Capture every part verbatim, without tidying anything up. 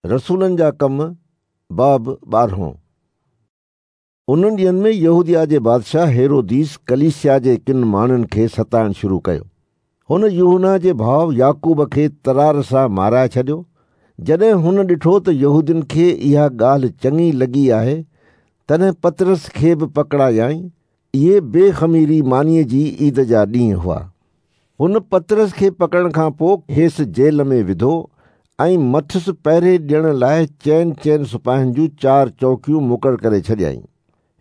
रसूलनि जा कम बाब ॿारहों। उन्हनि ॾींहंनि में यहूदिया जे बादशाह हेरोदीस कलीसिया जे किन माण्हुनि खे सताइणु शुरू कयो। हुन यूहन्ना जे भाउ याकूब खे तरार सां माराए छॾियो। जॾहिं हुन ॾिठो त यहूदियुनि खे इहा ॻाल्हि चङी लॻी आहे, तॾहिं पतरस खे बि पकड़ायाईं। इहे बेख़मीरी मानीअ जी ईद जा ॾींहं हुआ। हुन पतरस खे पकड़ण खां पोइ खेसि जेल में विधो ऐं मथुसि पहरे ॾियण लाइ चइनि चइनि सिपाहियुनि जूं चारि चौकियूं मुक़ररु करे छॾियाईं।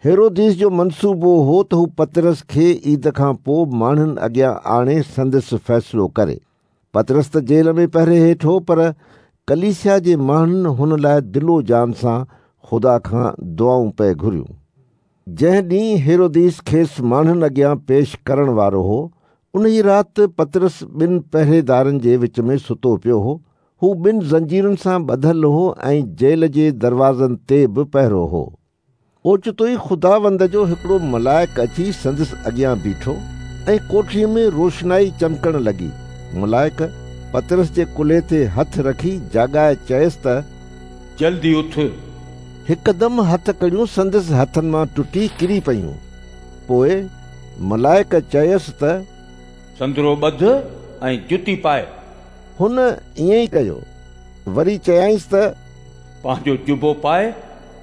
हेरोदीस जो मनसूबो हो त हू पतरस खे ईद खां पोइ माण्हुनि अॻियां आणे संदसि फ़ैसिलो करे। पतरस त जेल में पहरे हेठि हो, पर कलीसिया जे माण्हुनि हुन लाइ दिलो जान सां ख़ुदा खां दुआऊं पए घुरियूं। जंहिं ॾींहुं हेरोदीस खेसि माण्हुनि अॻियां पेश करण वारो हो, उन ई राति पतरस ॿिनि पहरेदारनि जे विच में सुतो पियो हो। हू ॿिनि ज़ंजीरुनि सां ॿधल हो ऐं जेल जे दरवाज़नि ते बि पहरो हो। ओचितो ई ख़ुदावंद जो हिकिड़ो मलाइक अची संदसि अॻियां बीठो ऐं कोठरीअ में रोशनाई चमकण लॻी। मलाइक पतरस जे कुल्हे ते हथ रखी जाॻाए चयसि त जल्दी उथ। हिकदमि हथकड़ियूं संदसि हथनि मां टुटी किरी पयूं। पोइ मलाइक चयसि त संदरो ॿध ऐं जुती पाए। हुन ईअं ई कयो। वरी चयाईंसि त पंहिंजो जुबो पाए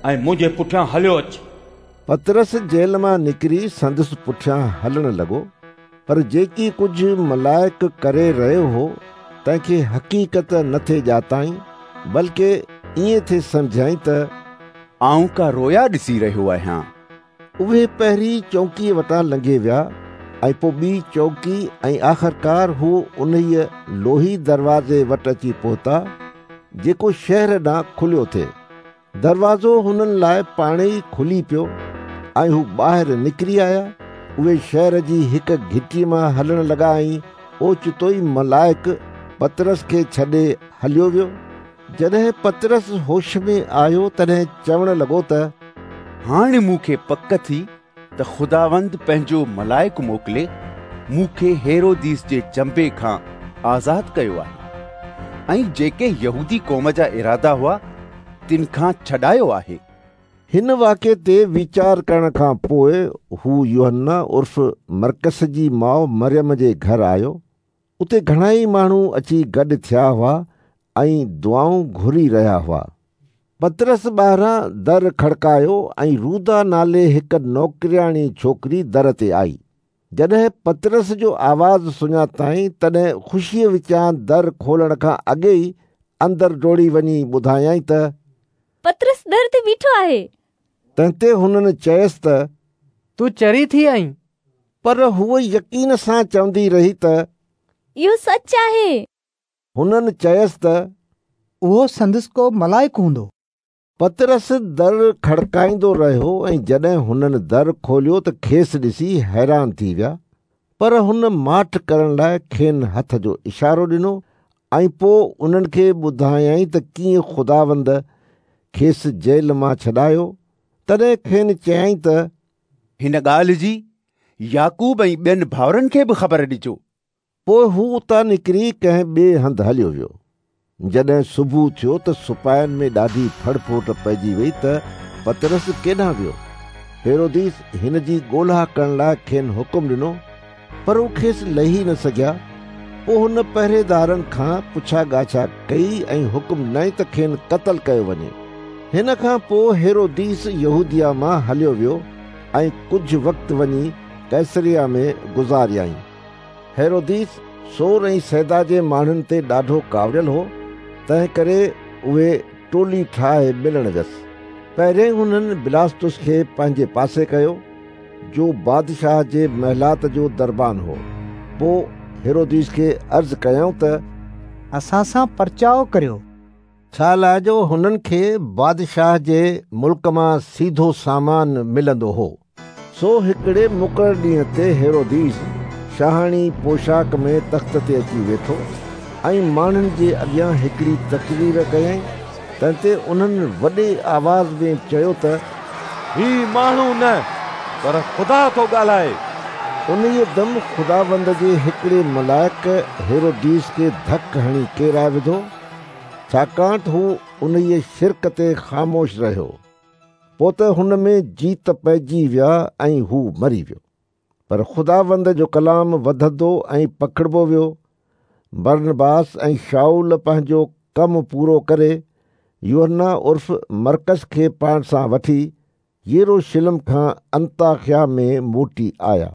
ऐं मुंहिंजे पुठियां हलियो अच। पतरस जेल मां निकिरी संदसि पुठियां हलण लॻो, पर जेकी कुझु मलाइक करे रहियो हो तंहिंखे हक़ीक़त न थे ॼाताईं, बल्कि ईअं थे सम्झाई त आउं का रोया ॾिसी रहियो आहियां। उहे पहिरीं चौकीअ वटां लंघे विया ऐं पोइ ॿी चौकी ऐं आख़िरकार हू उन्हीअ लोही दरवाज़े वटि अची पहुता जेको शहर ॾांहुं खुलियो थिए। दरवाज़ो हुननि लाइ पाण ई खुली पियो ऐं हू ॿाहिरि निकिरी आया। उहे शहर जी हिकु घिटीअ मां हलण लॻा ऐं ओचितो ई मलाइक पतरस खे छॾे हलियो वियो। जॾहिं पतरस होश में आयो तॾहिं चवण लॻो त हाणे मूंखे पक थी त ख़ुदावंद पंहिंजो मलाइक मोकिले मूंखे हेरोदीस जे चंबे खां आज़ाद कयो आहे ऐं जेके यहूदी क़ौम जा इरादा हुआ तिन खां छॾायो आहे। हिन वाक़े ते वीचार करण खां पोइ हू यूहन्ना उर्फ़ मरकस जी माउ मरियम जे घर आयो। उते घणा ई माण्हू अची गॾु थिया हुआ ऐं दुआऊं घुरी रहिया हुआ। पतरस ॿाहिरां दर खड़कायो ऐं रूदा नाले हिकु नौकरियाणी छोकिरी दर ते आई। जॾहिं पतरस जो आवाज़ सुञाताईं तॾहिं ख़ुशीअ विचां दर खोलण खां अॻे ई अंदरि डोड़ी वञी ॿुधायाईं त पतरस दर ते बीठो आहे। तंहिं ते हुननि चयसि त तूं चरी थी आहीं। पर हूअ यकीन सां चवंदी रही त इहो सच आहे। हुननि चयसि त उहो संदसि को मलाइक हूंदो। पतरस दर खड़काईंदो रहियो ऐं जॾहिं हुननि दर खोलियो त खेसि ॾिसी हैरान थी विया। पर हुन माठ करण लाइ खेनि हथ जो इशारो ॾिनो ऐं पोइ उन्हनि खे ॿुधायाईं त कीअं ख़ुदावंद खेसि जेल मां छॾायो। तॾहिं खेनि चयाईं त हिन ॻाल्हि जी याकूब ऐं ॿियनि भाउरनि खे बि ख़बर ॾिजो। पोइ हू उतां निकिरी कंहिं ॿिए हंधि हलियो वियो। जॾहिं सुबुह थियो त सिपाहियुनि में ॾाढी फड़फोट पइजी वई त पतरस केॾांहुं वियो। हेरोदीस हिन जी ॻोल्हा करण लाइ खेनि हुकुम ॾिनो, पर हू खेसि लही न सघिया। पोइ हुन पहरेदारनि खां पुछा ॻाछा कई ऐं हुकुम ॾिनई त खेनि क़तल कयो वञे। हिन खां पोइ हेरोदीस यहूदिया मां हलियो वियो ऐं कुझु वक़्तु वञी कैसरिया में गुज़ारियाईं। हेरोदीस सोर ऐं सैदा जे माण्हुनि ते ॾाढो कावड़ियल हो, तंहिं करे उहे टोली ठाहे मिलण वियसि। पहिरियों हुननि बिलास्तुस खे पंहिंजे पासे कयो, जो बादशाह जे महलात जो दरबान हो। पोइ हेरोदीस खे अर्ज़ कयाऊं त असां सां परचाव करियो, छा लाइ जो हुननि खे बादशाह जे मुल्क मां सीधो सामान मिलंदो हो। सो हिकिड़े मुक़ररु ॾींहं ते हेरोदीस शाहाणी पोशाक में तख़्त ते अची वेठो ऐं माण्हुनि जे अॻियां हिकिड़ी तकरीर कयाईं। तंहिं ते उन्हनि वॾे आवाज़ में चयो त ही माण्हू न पर ख़ुदा थो ॻाल्हाए। उन्हीअ दम ख़ुदावंद जे हिकिड़े मलाइक हेरोदीस खे धक हणी केराए विधो। छाकाणि त हू उन्हीअ शिर्क ते ख़ामोश रहियो। पोइ त हुन में जीत पइजी विया ऐं हू मरी वियो। पर ख़ुदावंद जो कलाम वधंदो ऐं पखिड़बो वियो। बरनबास ऐं शाऊल पंहिंजो कमु पूरो करे यूहन्ना उर्फ मरकस खे पाण सां वठी यरूशलेम खां अंताकिया में मोटी आया।